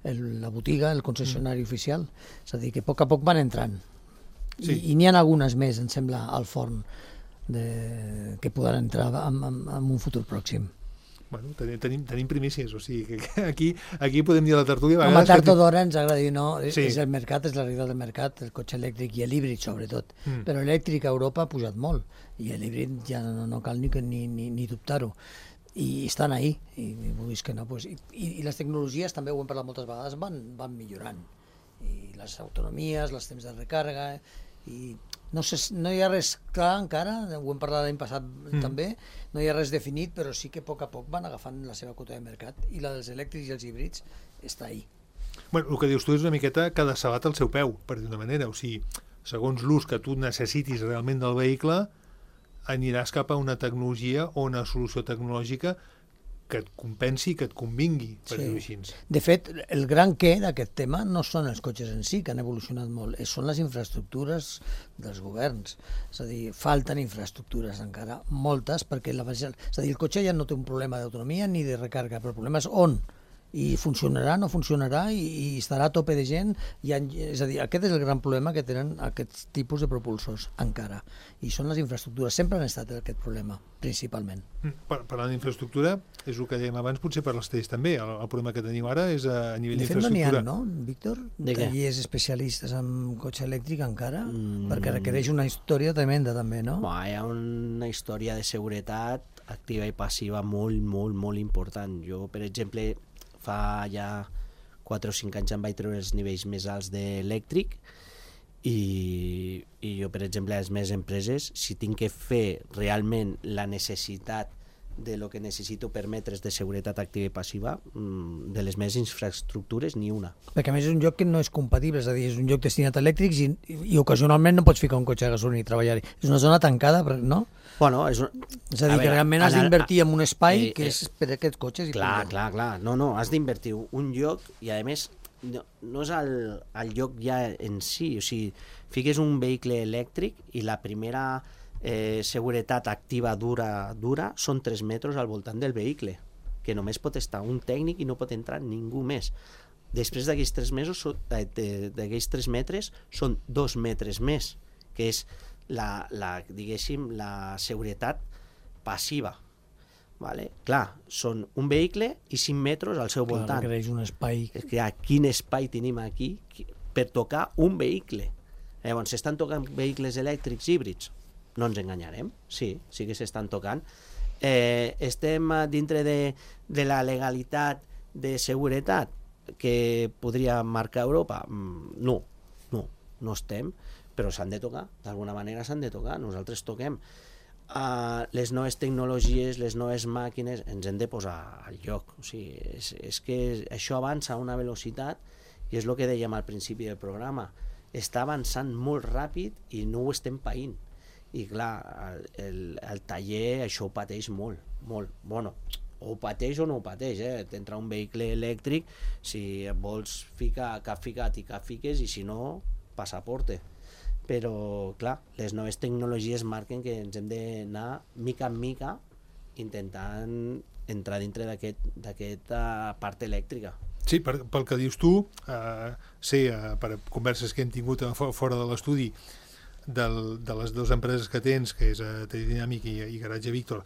la botiga, el concessionari oficial, és a dir, que a poc van entrant. I n'hi ha algunes més, em sembla, al forn que podran entrar en un futur pròxim. Bueno, tenim primícies, o sigui que aquí podem dir a la tertúlia... Home, tard o d'hora ens agrada dir, no, és el mercat, és la realitat del mercat, el cotxe elèctric i l'híbrid sobretot, però l'elèctric a Europa ha pujat molt i l'híbrid ja no cal ni dubtar-ho. I estan ahí, i vulguis que no, pues, i les tecnologies també, ho hem parlat moltes vegades, van millorant, i les autonomies, els temps de recàrrega, i no hi ha res clar encara, ho hem parlat l'any passat també, no hi ha res definit, però sí que a poc van agafant la seva quota de mercat, i la dels elèctrics i els híbrids està ahí. Bueno, el que dius tu és una miqueta cada sabat al seu peu, per dir-ho d'una manera, o sigui, segons l'ús que tu necessitis realment del vehicle, aniràs cap a una tecnologia o una solució tecnològica que et compensi, que et convingui, per dir-ho així. De fet, el gran què d'aquest tema no són els cotxes en si, que han evolucionat molt, són les infraestructures dels governs. És a dir, falten infraestructures encara, moltes, perquè és a dir, el cotxe ja no té un problema d'autonomia ni de recàrrega, però el problema és on. I funcionarà, no funcionarà, i estarà a tope de gent. És a dir, aquest és el gran problema que tenen aquests tipus de propulsors encara. I són les infraestructures. Sempre han estat aquest problema, principalment. Parlant d'infraestructura, és el que dèiem abans, potser per les tells també. El problema que tenim ara és a nivell d'infraestructura. De fet, no n'hi ha, no, Víctor? Tallers especialistes en cotxe elèctric encara? Perquè requereix una història tremenda també, no? Hi ha una història de seguretat activa i passiva molt, molt, molt important. Jo, per exemple, fa ja 4 o 5 anys em vaig treure els nivells més alts d'elèctric i jo, per exemple, a les meves empreses, si tinc que fer realment la necessitat de lo que necessito per metres de seguretat activa i passiva, de les meves infraestructures, ni una. Perquè a més és un lloc que no és compatible, és a dir, és un lloc destinat a elèctrics i ocasionalment no pots ficar un cotxe de gasolina i treballar-hi. És una zona tancada, no? Bueno, és a dir, que realment has d'invertir en un espai que és per a aquests cotxes. Clar. No, has d'invertir un lloc i, a més, no és el lloc ja en si. O sigui, fiques un vehicle elèctric i la primera seguretat activa dura són 3 metres al voltant del vehicle, que només pot estar un tècnic i no pot entrar ningú més. Després d'aquells 3 metres són 2 metres més, que és diguéssim, la seguretat passiva. Vale? Clar, són un vehicle i 5 metres al seu voltant. Requereix un espai. Quin espai tenim aquí per tocar un vehicle? Llavors, s'estan tocant vehicles elèctrics híbrids? No ens enganyarem, sí que s'estan tocant. Estem dintre de la legalitat de seguretat? que podria marcar Europa? No estem, però s'han de tocar, d'alguna manera s'han de tocar, nosaltres toquem. Les noves tecnologies, les noves màquines, ens hem de posar al lloc. O sigui, és que això avança a una velocitat, i és el que dèiem al principi del programa, està avançant molt ràpid i no ho estem païnt. I clar, el taller això ho pateix molt. Bueno, o ho pateix o no ho pateix, t'entra un vehicle elèctric, si vols ficar cap ficat i cap fiques, i si no, passaporte. Però clar, les noves tecnologies marquen que ens hem d'anar mica en mica intentant entrar dintre d'aquesta part elèctrica. Sí, pel que dius tu, per converses que hem tingut fora de l'estudi de les dues empreses que tens, que és Tridinàmic i Garatge Víctor,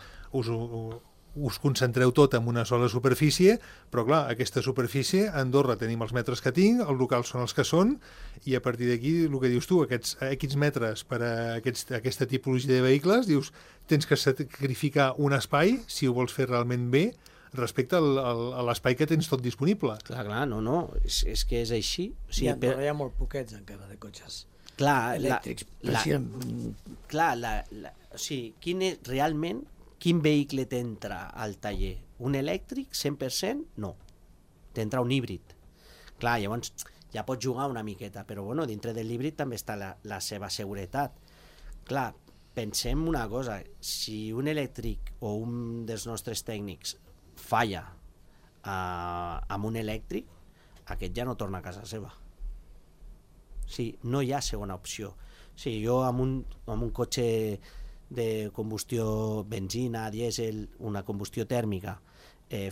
us concentreu tot en una sola superfície, però clar, aquesta superfície, a Andorra tenim els metres que tinc, els locals són els que són, i a partir d'aquí, el que dius tu, aquests metres per a aquesta tipologia de vehicles, dius, tens que sacrificar un espai, si ho vols fer realment bé, respecte a l'espai que tens tot disponible. Clar, no, és que és així. O sigui, hi ha molt poquets encara de cotxes elèctrics. O sigui, realment, quin vehicle t'entra al taller? Un elèctric, 100%? No. T'entra un híbrid. Clar, llavors ja pots jugar una miqueta, però bueno, dintre de l'híbrid també està la seva seguretat. Clar, pensem una cosa, si un elèctric o un dels nostres tècnics falla amb un elèctric, aquest ja no torna a casa seva. Sí, no hi ha segona opció. Sí, jo amb un cotxe de combustió benzina, dièsel, una combustió tèrmica,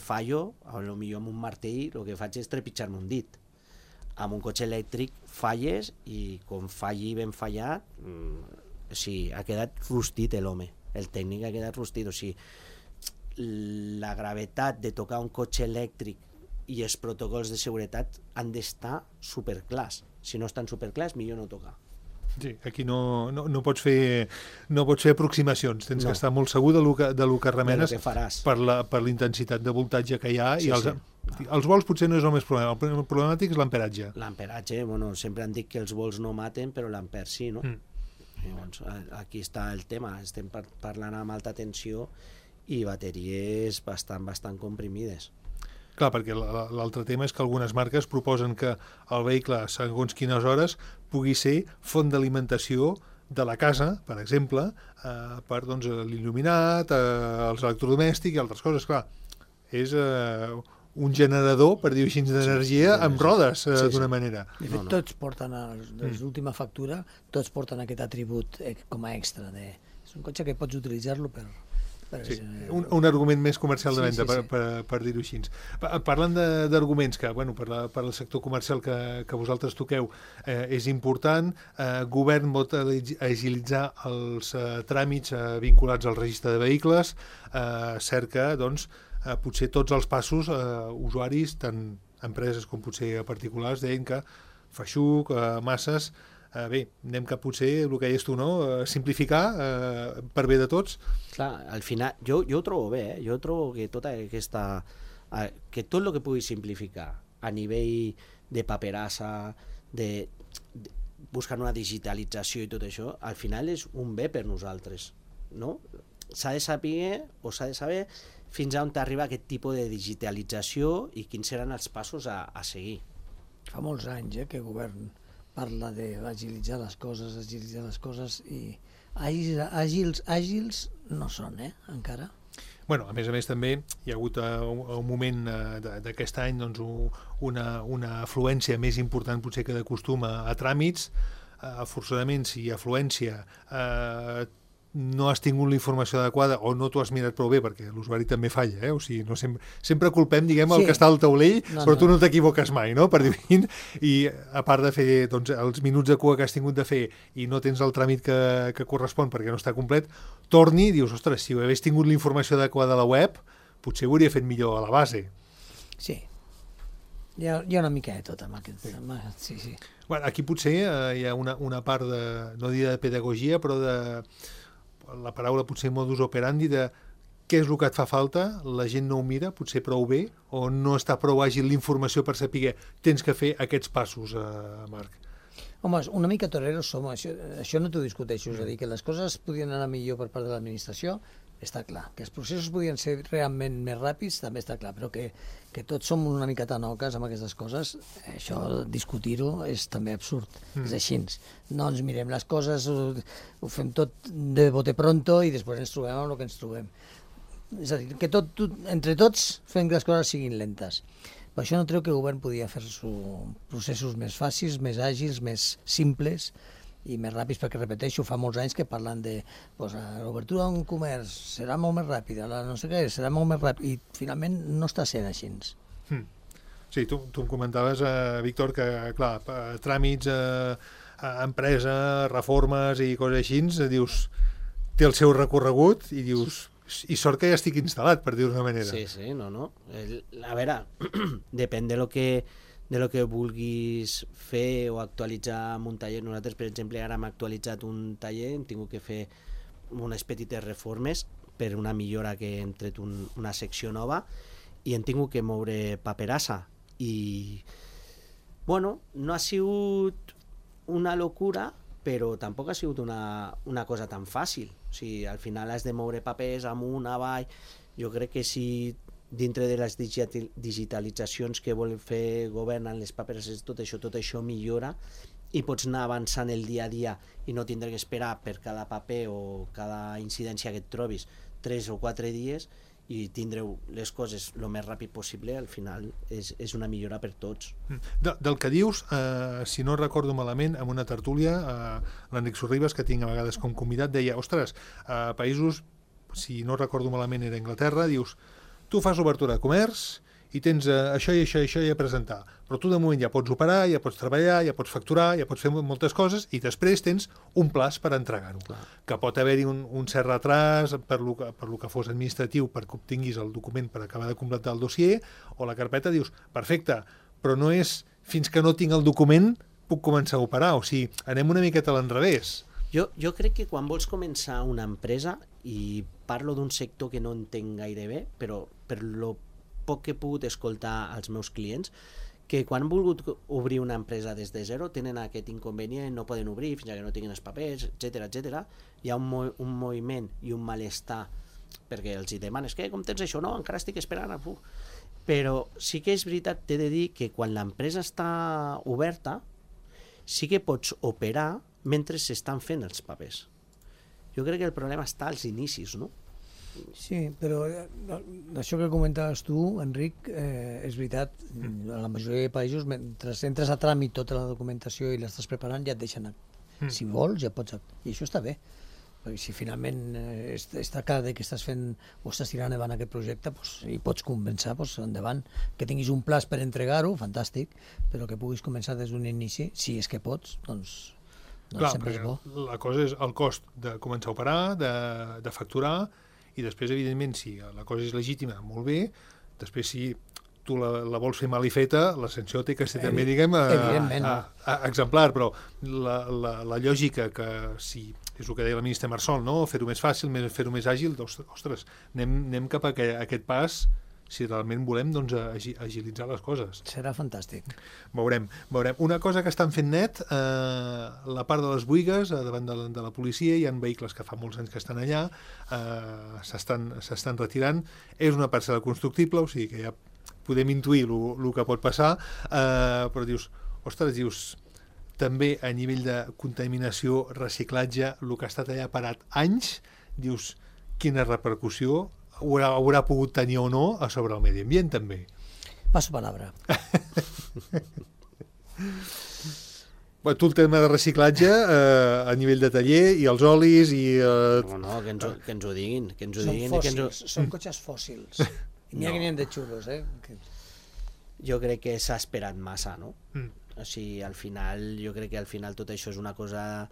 fallo, potser amb un martell el que faig és trepitjar-me un dit. Amb un cotxe elèctric falles i com falli ben fallat, ha quedat rostit l'home, el tècnic ha quedat rostit. O sigui, la gravetat de tocar un cotxe elèctric i els protocols de seguretat han d'estar superclars. Si no estan superclars, millor no tocar. Sí, aquí no pots fer aproximacions, tens que estar molt segur de lo que remenes per la intensitat de voltatge que hi ha. Els vols potser no és el més problema, el problemàtic és l'amperatge. L'amperatge, sempre han dit que els vols no maten, però l'amper sí, no? Llavors, aquí està el tema, estem parlant amb alta tensió i bateries bastant comprimides. Clar, perquè l'altre tema és que algunes marques proposen que el vehicle, segons quines hores, pugui ser font d'alimentació de la casa, per exemple, per l'il·luminat, els electrodomèstics i altres coses. Clar, és un generador, per dir-ho així, d'energia amb rodes, d'una manera. De fet, tots porten, des d'última factura, tots porten aquest atribut com a extra. És un cotxe que pots utilitzar-lo per... Sí, un argument més comercial de venda, per dir-ho així. Parlant d'arguments que, per al sector comercial que vosaltres toqueu, és important, govern pot agilitzar els tràmits vinculats al registre de vehicles, cerca, potser tots els passos usuaris, tant empreses com potser particulars, deien que feixuc, masses... Bé, anem cap potser, el que deies tu, no? Simplificar per bé de tots. Clar, al final, jo ho trobo bé, jo trobo que tota aquesta... que tot el que pugui simplificar a nivell de paperassa, de buscar una digitalització i tot això, al final és un bé per nosaltres, no? S'ha de saber fins a on t'arriba aquest tipus de digitalització i quins seran els passos a seguir. Fa molts anys que el govern parla d'agilitzar les coses i àgils no són, encara. Bueno, a més també hi ha hagut un moment d'aquest any una afluència més important potser que de costum a tràmits. Forçadament, si afluència no has tingut la informació adequada o no t'ho has mirat prou bé, perquè l'usuari també falla, o sigui, no sempre culpem, el que està al taulell, però tu no t'equivoques mai, no?, per dir-ho. I a part de fer els minuts de cua que has tingut de fer i no tens el tràmit que correspon perquè no està complet, torni i dius, ostres, si hagués tingut la informació adequada a la web, potser ho hauria fet millor a la base. Sí. Hi ha una mica de tot amb aquest tema. Sí. Bueno, aquí potser hi ha una part no diria de pedagogia, però de la paraula potser modus operandi de què és el que et fa falta, la gent no ho mira potser prou bé, o no està prou àgil l'informació per saber tens que fer aquests passos, Marc? Home, una mica toreros som, això no t'ho discuteixo, és a dir, que les coses podien anar millor per part de l'administració, està clar. Que els processos podien ser realment més ràpids, també està clar, però que tots som una mica tanoques amb aquestes coses, això, discutir-ho, és també absurd. És així. No ens mirem les coses, ho fem tot de bote pronto i després ens trobem amb el que ens trobem. És a dir, que entre tots fem que les coses siguin lentes. Per això no treu que el govern podia fer processos més fàcils, més àgils, més simples i més ràpids, perquè, repeteixo, fa molts anys que parlen de l'obertura d'un comerç serà molt més ràpida, no sé què, serà molt més ràpid, i finalment no està sent així. Sí, tu em comentaves, Víctor, que, clar, tràmits, empresa, reformes i coses així, dius, té el seu recorregut i dius... I sort que ja estic instal·lat, per dir-ho d'una manera. Sí, no. A veure, depèn de lo que vulguis fer o actualitzar en un taller. Nosaltres, per exemple, ara hem actualitzat un taller, hem tingut que fer unes petites reformes per una millora que hem tret una secció nova i hem tingut que moure paperassa. I, bueno, no ha sigut una locura, però tampoc ha sigut una cosa tan fàcil. O sigui, al final has de moure papers amunt, avall. Jo crec que si dintre de les digitalitzacions que vol fer govern en les papereses, tot això millora i pots anar avançant el dia a dia i no tindre que esperar per cada paper o cada incidència que et trobis 3 o 4 dies i tindreu les coses el més ràpid possible. Al final és una millora per tots. Del que dius, si no recordo malament, en una tertúlia, l'Enric Sorribas, que tinc a vegades com convidat, deia, ostres, a països, si no recordo malament era Anglaterra, dius, tu fas obertura de comerç i tens això i això i això a presentar, però tu de moment ja pots operar, ja pots treballar, ja pots facturar, ja pots fer moltes coses i després tens un plaç per entregar-ho. Que pot haver-hi un cert retras per lo que fos administratiu perquè obtinguis el document per acabar de completar el dossier, o la carpeta dius, perfecte, però no és fins que no tinc el document puc començar a operar, o sigui, anem una miqueta a l'enrevés. Jo crec que quan vols començar una empresa, i parlo d'un sector que no entenc gaire bé, però per lo poc que he pogut escoltar als meus clients, que quan han volgut obrir una empresa des de zero tenen aquest inconvenient, no poden obrir fins que no tinguin els papers, etc. Hi ha un moviment i un malestar perquè els hi demanes, com tens això? No, encara estic esperant. Però sí que és veritat, t'he de dir que quan l'empresa està oberta sí que pots operar mentre s'estan fent els papers. Jo crec que el problema està als inicis, no? Sí, però això que comentaves tu, Enric, és veritat. A la majoria de països, mentre entres a tràmit tota la documentació i l'estàs preparant, ja et deixen. Si vols, ja pots. I això està bé. Perquè si finalment està clar que estàs fent o estàs tirant endavant aquest projecte i pots començar, endavant. Que tinguis un plaç per entregar-ho, fantàstic, però que puguis començar des d'un inici, si és que pots, doncs sempre és bo. La cosa és el cost de començar a operar, de facturar, i després, evidentment, si la cosa és legítima, molt bé, després si tu la vols fer mal i feta, la sanció té que ser també, diguem, exemplar, però la lògica que si és el que deia la ministra Marsol, no? Fer-ho més fàcil, fer-ho més àgil, ostres, anem cap a aquest pas si realment volem agilitzar les coses. Serà fantàstic. Veurem. Una cosa que estan fent net, la part de les boigues, davant de la policia, hi ha vehicles que fa molts anys que estan allà, s'estan retirant, és una parcel·la constructible, o sigui que ja podem intuir el que pot passar, però dius, també a nivell de contaminació, reciclatge, el que ha estat allà parat anys, dius, quina repercussió haurà pogut tenir o no a sobre el medi ambient, també. Passo palabra. Tu el tema de reciclatge a nivell de taller i els olis i... No, que ens ho diguin. Són cotxes fòssils. I n'hi ha que n'hi ha de xulos, Jo crec que s'ha esperat massa, no? O sigui, al final, jo crec que al final tot això és una cosa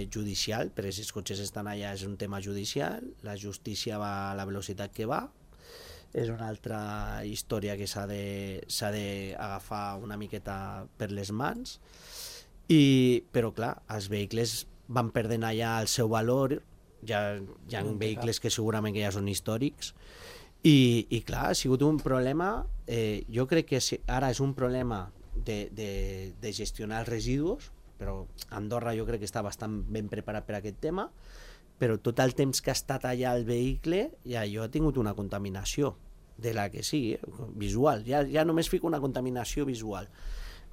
judicial, perquè si els cotxes estan allà és un tema judicial, la justícia va a la velocitat que va, és una altra història que s'ha d'agafar una miqueta per les mans, però clar, els vehicles van perdent allà el seu valor hi ha vehicles que segurament que ja són històrics, i clar, ha sigut un problema, jo crec que ara és un problema de gestionar els residus, però Andorra jo crec que està bastant ben preparat per aquest tema, però tot el temps que ha estat allà el vehicle, ja jo he tingut una contaminació, de la que sigui, visual, ja només fico una contaminació visual.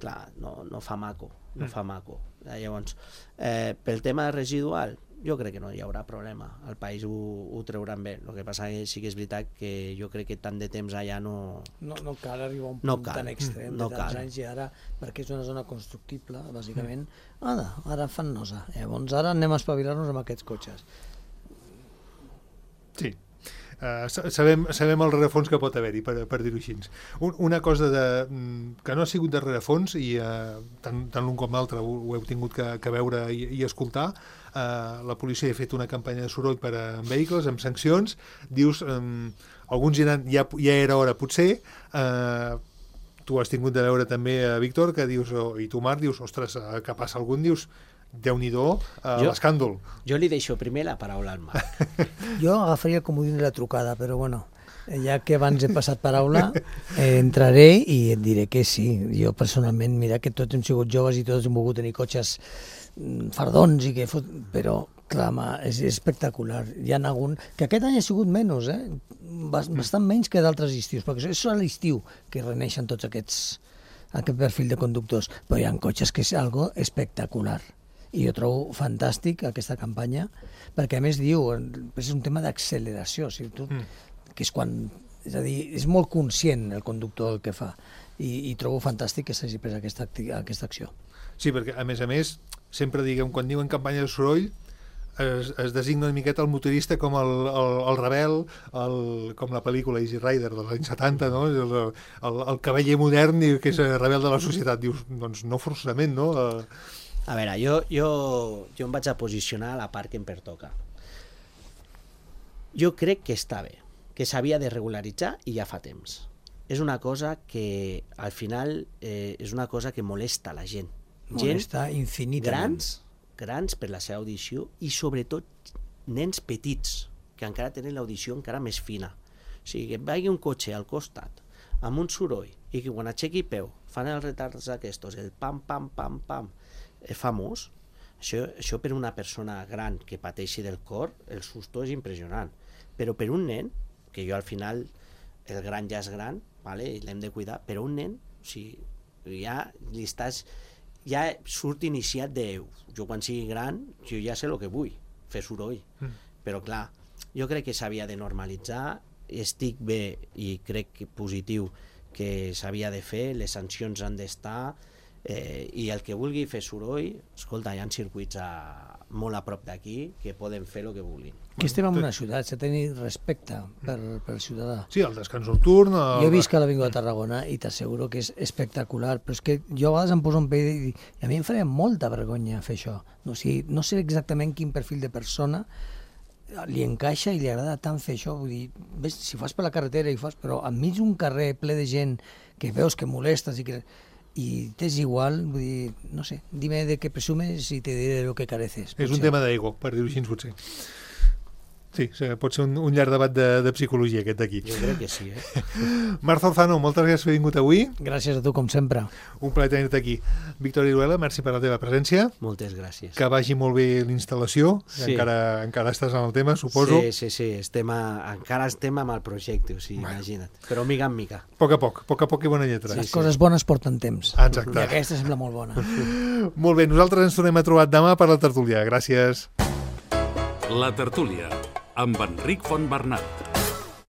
Clar, no fa maco, no fa maco. Llavors, pel tema residual, jo crec que no hi haurà problema, el país ho trauran bé. El que passa que sí que és veritat que jo crec que tant de temps allà no cal arribar a un punt tan extrem de tants anys, i ara, perquè és una zona constructible, bàsicament, ara fan nosa. Llavors ara anem a espavilar-nos amb aquests cotxes. Sí. Sabem el rerefons que pot haver-hi, per dir-ho així. Una cosa que no ha sigut de rerefons, i tant l'un com l'altre ho heu tingut que veure i escoltar, la policia ha fet una campanya de soroll per a vehicles, amb sancions. Dius, alguns ja era hora potser, tu has tingut de veure també, Víctor, que dius, i tu, Marc, dius, ostres, que passa algun, dius, Déu-n'hi-do, l'escàndol. Jo li deixo primer la paraula al Marc. Jo agafaria el comodín de la trucada, però bueno, ja que abans he passat paraula, entraré i et diré que sí. Jo personalment, mira que tots hem sigut joves i tots hem volgut tenir cotxes fardons, però clar, és espectacular. Hi ha algun... que aquest any ha sigut menys, bastant menys que d'altres estius, perquè és a l'estiu que reneixen tots aquest perfil de conductors, però hi ha cotxes que és algo espectacular. I jo trobo fantàstic aquesta campanya, perquè a més diu, és un tema d'acceleració, que és quan, és a dir, és molt conscient el conductor del que fa, i trobo fantàstic que s'hagi pres aquesta acció. Sí, perquè a més, sempre diguem, quan diuen campanya de soroll, es designa una miqueta el motorista com el rebel, com la pel·lícula Easy Rider dels anys 70, no? El cavaller modern que és rebel de la societat. Dius, doncs no forçament, no? A veure, jo em vaig a posicionar a la part que em pertoca. Jo crec que està bé, que s'havia de regularitzar i ja fa temps. És una cosa que al final és una cosa que molesta la gent. Molesta infinitament. Grans per la seva audició i sobretot nens petits que encara tenen l'audició encara més fina. O sigui, que et vagi un cotxe al costat amb un soroll i que quan aixequi peu fan els retards aquests, el pam, pam, pam, pam, famós, això per una persona gran que pateixi del cor, el susto és impressionant. Però per un nen, que jo al final, el gran ja és gran, vale, i l'hem de cuidar, però un nen, o sigui, ja surt iniciat de, jo quan sigui gran, jo ja sé el que vull, fer soroll. Però clar, jo crec que s'havia de normalitzar, estic bé i crec que positiu que s'havia de fer, les sancions han d'estar, i el que vulgui fer soroll, escolta, hi ha circuits molt a prop d'aquí que poden fer el que vulguin. Que estem en una ciutat, s'ha de tenir respecte per ciutadà. Sí, el descans nocturn... Jo he vist que l'Avinguda de Tarragona i t'asseguro que és espectacular, però és que jo a vegades em poso un peu i a mi em faria molta vergonya fer això. O sigui, no sé exactament quin perfil de persona li encaixa i li agrada tant fer això. Vull dir, ves, si fas per la carretera i fas, però enmig d'un carrer ple de gent que veus que molestes i t'és igual, vull dir, no sé, dime de què presumes i te diré lo que careces. És un tema d'ego, per dir-ho així, potser. Sí, pot ser un llarg debat de psicologia, aquest d'aquí. Jo crec que sí, Marc Zarzano, moltes gràcies per haver vingut avui. Gràcies a tu, com sempre. Un plaer tenir-te aquí. Víctor Iruela, merci per la teva presència. Moltes gràcies. Que vagi molt bé l'instal·lació. Sí. Encara estàs en el tema, suposo. Sí. Encara estem amb el projecte, o sigui, imagina't. Però mica en mica. A poc a poc i bona lletra. Les coses bones porten temps. Exacte. I aquesta sembla molt bona. Molt bé, nosaltres ens tornem a trobar demà per la tertúlia. Gràcies. La tertúlia, amb Enric Fontbernat.